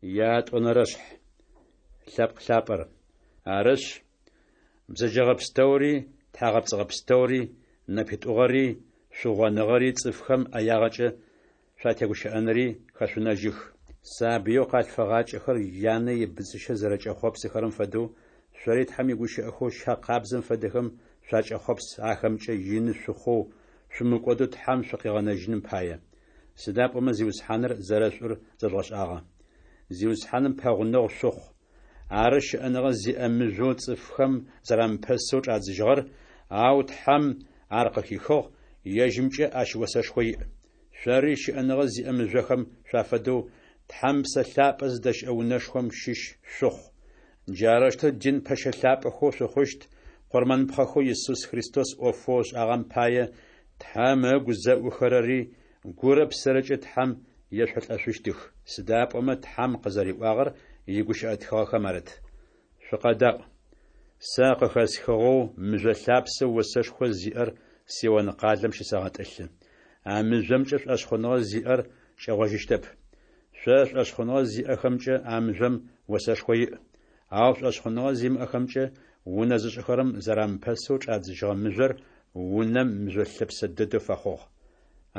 Ятӏонэрэшъхь. Лъэпкъ лъапӏэр. Арышъ, бзэджэгъэ пстэури, тхьагъэпцӏыгъэ пстэури, нэпитӏугъэри, шъугъоныгъэри, цӏыфхэм ӏэягъэкӏэ шъуатегущыӏэнри хэшъунэжьых. Сабыеу къалъфыгъакӏэхэр янэ ибыдзыщэ зэрэкӏэхъопсыхэрэм фэдэу, шъори Тхьэм игущыӏэхэу щэ къабзэм фэдэхэм шъуакӏэхъопс ахэмкӏэ ины шъухъоу, шъумыкӏодэу Тхьэм шъукъигъэнэжьыным пае. Сыда пӏомэ Зиусхьаныр зэрэшӏур зэжъугъэшӏагъэ. Зиусхьаным пэгъунэгъу шъухъу. Ары щыӏэныгъэ зиӏэ мыжъоу цӏыфхэм зэрамыпэсэу чӏадзыжьыгъэр, ау Тхьэм ар къыхихыгъ, ежьымкӏэ ащ осэшхо иӏ. Шъори щыӏэныгъэ зиӏэ мыжъохэм шъуафэдэу Тхьэм Псэ Лъапӏэ зыдэщыӏэ унэшхом щыщ шъухъу. Джарэущтэу дин пэщэ лъапӏэхэу шъухъущт, къурмэныпхъэхэу Исус Христос ӏофэу ышӏагъэм пае Тхьэм ыгу зэӏухэрэри гурэ псэрэкӏэ Тхьэм ешъолӏэшъущтых, сыда пӏомэ Тхьэм къызэриӏуагъэр игущыӏэ тхыгъэхэм арыт. Шъукъэдаӏу! Сэ къыхэсхыгъэу мыжъо лъапсэу осэшхо зиӏэр Сион къалэм щысэгъэтӏылъы. А мыжъомкӏэ шӏошъхъуныгъэ зиӏэр кӏэгъожьыщтэп. Шъо шӏошъхъуныгъэ зиӏэхэмкӏэ а мыжъом осэшхо иӏ. Ау шӏошъхъуныгъэ зимыӏэхэмкӏэ унэ зышӏыхэрэм зэрамыпэсэу чӏадзыжьыгъэ мыжъор унэм мыжъо лъэпсэ дэдэу фэхъугъ.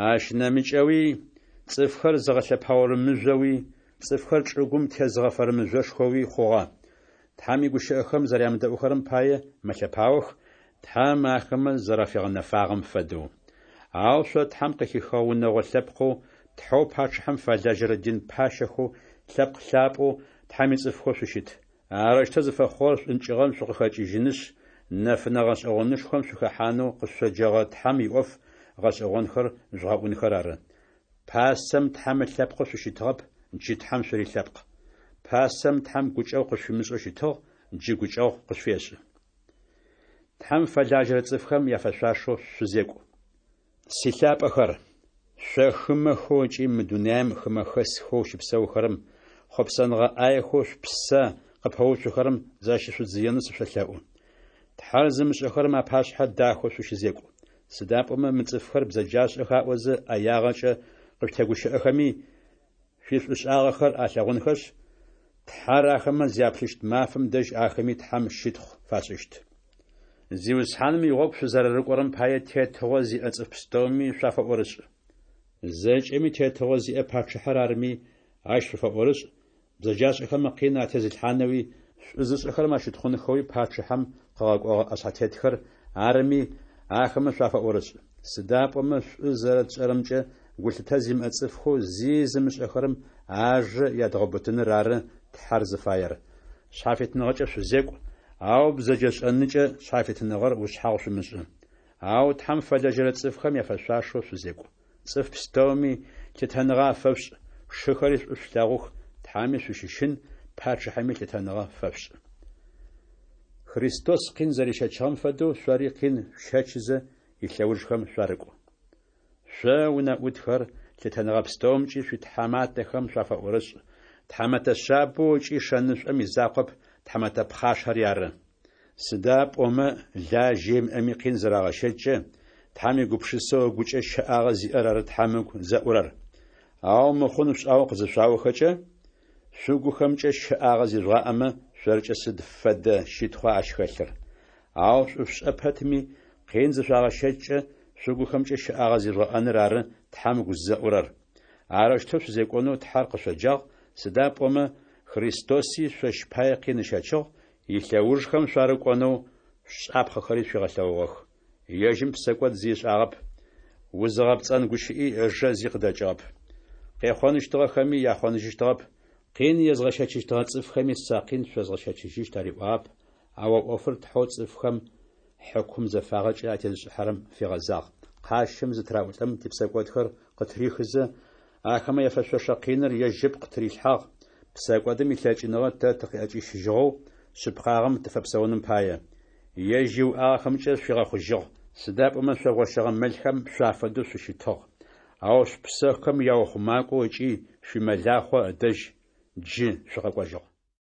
Ащ нэмыкӏэуи, цӏыфхэр зыгъэлъэпаорэ мыжъоуи, цӏыфхэр чӏыгум тезыгъэфэрэ мыжъошхоуи хъугъэ. Тхьэм игущыӏэхэм зэрямыдэӏухэрэм пае мэлъэпаох, Тхьэм ахэмэ зэрафигъэнэфагъэм фэдэу. Ау шъо Тхьэм къыхихыгъэ унэгъо лъэпкъэу, Тхьэу пачъыхьэм фэлажьэрэ дин пащэхэу, лъэпкъ лъапӏэу, Тхьэм ицӏыфхэу шъущыт. Арэущтэу зыфэхъугъэр шӏункӏыгъэм шъукъыхэкӏыжьынышъ, нэфынэ гъэшӏэгъонышхом шъухэхьанэу къышъоджэгъэ Тхьэм иӏоф гъэшӏэгъонхэр жъугъэӏунхэр ары. Пасэм Тхьэм ылъэпкъэу шъущытыгъэп, джы Тхьэм шъурилъэпкъ. Пасэм Тхьэм гукӏэгъу къышъуфимышӏэу щытыгъ, джы гукӏэгъу къышъуфешӏы. Тхьэм фэлажьэрэ цӏыфхэм яфэшъуашэу шъузекӏу. Силъапӏэхэр, шъо хымэхэу ыкӏи мы дунаем хымэхэсхэу щыпсэухэрэм, хъопсэныгъэ ӏаехэу шъупсэ къыпэуцухэрэм защышъудзыенэу сышъолъэӏу. Тхьэр зымышӏэхэрэм апашъхьэ дахэу шъущызекӏу. Сыда пӏомэ мы цӏыфхэр бзэджашӏэх аӏозэ ӏэягъэкӏэ къышъутегущыӏэхэми, шъуишӏушӏагъэхэр алъэгъунхэшъ, Тхьэр ахэмэ зяплъыщт мафэм дэжь ахэми Тхьэм щытхъу фашӏыщт. Зиусхьаным игъогу шъузэрэрыкӏорэм пае тетыгъо зиӏэ цӏыф пстэуми шъуафэӏорышӏ. Зэкӏэми тетыгъо зиӏэ пачъыхьэр арми, ащ шъуфэӏорышӏ, бзэджашӏэхэм къин атезылъхьанэуи, шӏу зышӏэхэрэм ащытхъунхэуи пачъыхьэм къыгъэкӏогъэ ӏэшъхьэтетхэр арми, ахэмэ шъуафэӏорышӏ. Сыда пӏомэ шӏу зэрэтшӏэрэмкӏэ гулъытэ зимыӏэ цӏыфхэу зи зымышӏэхэрэм ажэ ядгъэубытыныр ары Тхьэр зыфаер. Шъхьафитыныгъэкӏэ шъузекӏу, ау бзэджэшӏэныкӏэ шъхьафитыныгъэр ушъхьагъу шъумышӏы. Ау Тхьэм фэлэжьэрэ цӏыфхэм яфэшъуашэу шъузекӏу. Цӏыф пстэуми лъытэныгъэ афэшъушӏ, шыхэри шӏу шъулъэгъух, Тхьэми шъущыщын, пачъыхьэми лъытэныгъэ фэшъушӏ. Христос къин зэрищэчыгъэм фэдэу шъори къин шъущэчызэ илъэужхэм шъуарыкӏу. Шъо, унэӏутхэр, лъытэныгъэ пстэумкӏи шъуитхьаматэхэм шъуафэӏорышӏ, тхьамэтэ шъабэу ыкӏи шэнышӏом изакъоп, тхьамэтэ пхъашэри ары. Сыда пӏомэ лажьэ имыӏэми къин зырагъэщэчкӏэ, Тхьэм егупшысэу ыгукӏэ щэӏагъэ зиӏэр ары Тхьэм ыгу зэӏурэр. Ау мыхъун шъушӏагъэу къызышъуаохэкӏэ, шъугухэмкӏэ щэӏагъэ зижъугъаӏэмэ, шъоркӏэ сыд фэдэ щытхъуа ащ хэлъыр? Ау шӏу шъушӏэ пэтми, къин зышъуагъэщэчкӏэ, шъугухэмкӏэ щэӏагъэ зижъугъэӏэныр ары Тхьэм ыгу зэӏурэр. Арэущтэу шъузекӏонэу Тхьэр къышъоджагъ, сыда пӏомэ Христоси шъощ пае къин ыщэчыгъ, илъэужхэм шъуарыкӏонэу шӏапхъэхэри шъуигъэлъэгъугъэх. Ежьым псэкӏод зи ышӏагъэп, узыгъэпцӏэн гущыӏи ыжэ зи къыдэкӏыгъэп. Къехъоныщтыгъэхэми яхъоныжьыщтыгъэп, къин езгъэщэчыщтыгъэ цӏыфхэми сэ къин шъозгъэщэчыжьыщт ариӏуагъэп, ау а ӏофыр Тхьэу цӏыфхэм хьыкум зэфагъэкӏэ атезышӏыхьэрэм фигъэзагъ. Къащым зытыраӏулӏэм типсэкӏодхэр къытырихызэ, ахэмэ яфэшъошэ къиныр ежь ыпкъ тырилъхьагъ, псэкӏодым илъэкӏыныгъэ тэ тыкъыӏэкӏищыжьыгъэу, шъыпкъагъэм тыфэпсэуным пае. Ежь иуӏагъэхэмкӏэ шъуигъэхъужьыгъ, сыда пӏомэ шъо гъощэгъэ мэлхэм шъуафэдэу шъущытыгъ, ау шъупсэхэм яухъумакӏоу ыкӏи шъуимэлахъо ыдэжь джы шъукъэкӏожьыгъ.